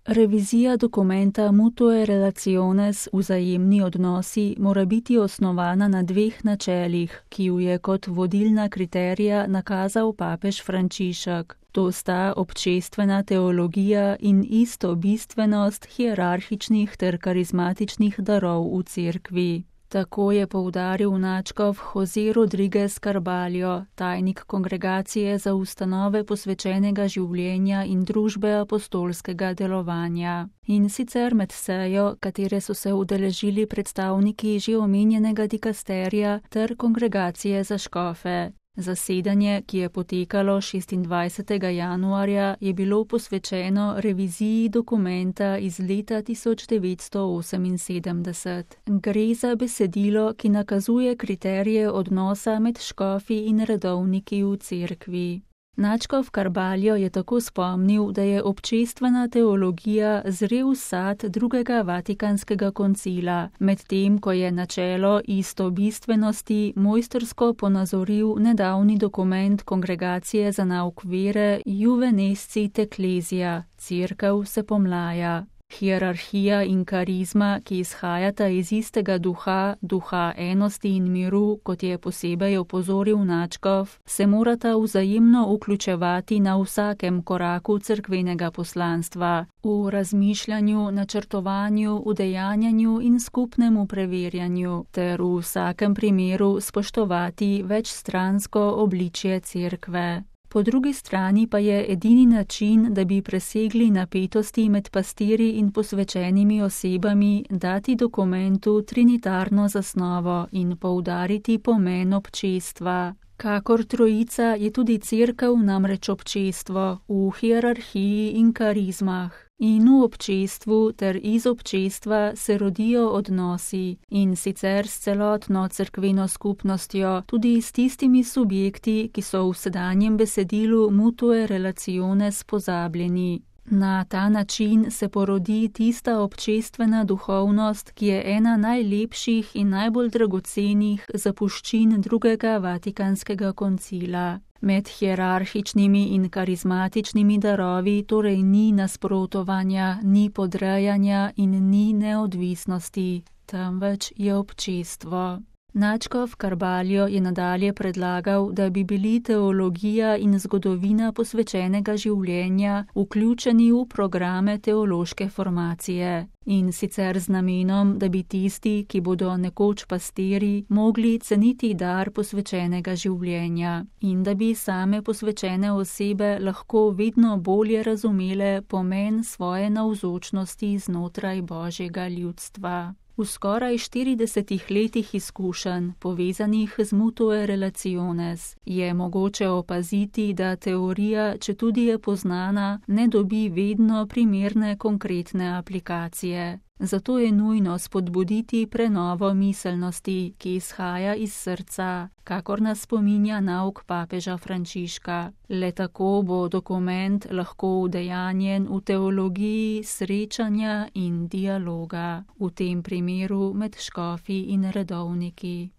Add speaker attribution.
Speaker 1: Revizija dokumenta Mutue Relationes, vzajemni odnosi, mora biti osnovana na dveh načelih, ki ju je kot vodilna kriterija nakazal papež Frančišek. To sta občestvena teologija in istobistvenost hierarhičnih ter karizmatičnih darov v cerkvi. Tako je poudaril nadškof José Rodríguez Carballo, tajnik Kongregacije za ustanove posvečenega življenja in družbe apostolskega delovanja. In sicer med sejo, katere so se udeležili predstavniki že omenjenega dikasterija ter Kongregacije za škofe. Zasedanje, ki je potekalo 26. januarja, je bilo posvečeno reviziji dokumenta iz leta 1978. Gre za besedilo, ki nakazuje kriterije odnosa med škofi in redovniki v cerkvi. Nadškof Carballo je tako spomnil, da je občestvena teologija zrel sad drugega Vatikanskega koncila, medtem ko je načelo istobistvenosti mojstrsko ponazoril nedavni dokument Kongregacije za nauk vere Juvenescit Ecclesia, Cerkev se pomlaja. Hierarhija in karizma, ki izhajata iz istega duha, duha enosti in miru, kot je posebej opozoril nadškof, se morata vzajemno vključevati na vsakem koraku cerkvenega poslanstva, v razmišljanju, načrtovanju, udejanjanju in skupnemu preverjanju, ter v vsakem primeru spoštovati večstransko obličje cerkve. Po drugi strani pa je edini način, da bi presegli napetosti med pastirji in posvečenimi osebami, dati dokumentu trinitarno zasnovo in poudariti pomen občestva. Kakor trojica je tudi cerkev namreč občestvo v hierarhiji in karizmah. In v občestvu ter iz občestva se rodijo odnosi, in sicer s celotno cerkveno skupnostjo, tudi s tistimi subjekti, ki so v sedanjem besedilu Mutue Relationes pozabljeni. Na ta način se porodi tista občestvena duhovnost, ki je ena najlepših in najbolj dragocenih zapuščin drugega Vatikanskega koncila. Med hierarhičnimi in karizmatičnimi darovi torej ni nasprotovanja, ni podrejanja in ni neodvisnosti, temveč je občestvo. Nadškof Carballo je nadalje predlagal, da bi bili teologija in zgodovina posvečenega življenja vključeni v programe teološke formacije. In sicer z namenom, da bi tisti, ki bodo nekoč pastirji, mogli ceniti dar posvečenega življenja in da bi same posvečene osebe lahko vedno bolje razumele pomen svoje navzočnosti znotraj Božjega ljudstva. V skoraj 40 letih izkušenj, povezanih z Mutue Relationes, je mogoče opaziti, da teorija, četudi je poznana, ne dobi vedno primerne konkretne aplikacije. Zato je nujno spodbuditi prenovo miselnosti, ki izhaja iz srca, kakor nas spominja nauk papeža Frančiška. Le tako bo dokument lahko udejanjen v teologiji srečanja in dialoga, v tem primeru med škofi in redovniki.